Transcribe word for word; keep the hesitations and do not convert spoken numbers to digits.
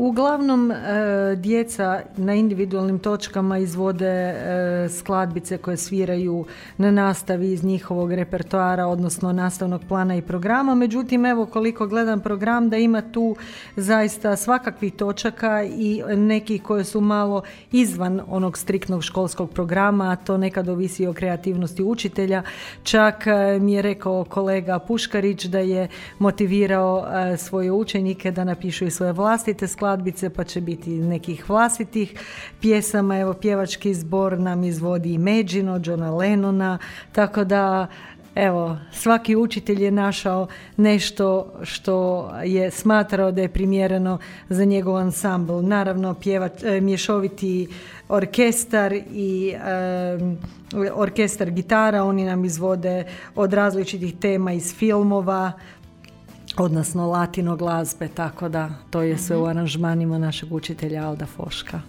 Uglavnom, e, djeca na individualnim točkama izvode e, skladbice koje sviraju na nastavi iz njihovog repertoara, odnosno nastavnog plana i programa. Međutim, evo koliko gledam program, da ima tu zaista svakakvih točaka i neki koje su malo izvan onog striktnog školskog programa, a to nekad ovisi o kreativnosti učitelja. Čak e, mi je rekao kolega Puškarić da je motivirao e, svoje učenike da napišu i svoje vlastite skladbice, pa će biti nekih vlastitih pjesama. Evo, pjevački zbor nam izvodi Imagine, Johna Lennona, tako da evo, svaki učitelj je našao nešto što je smatrao da je primjereno za njegov ansambl. Naravno, pjevač, mješoviti orkestar i e, orkestar gitara, oni nam izvode od različitih tema iz filmova, odnosno latino glazbe, tako da to je sve u aranžmanima našeg učitelja Alda Foška.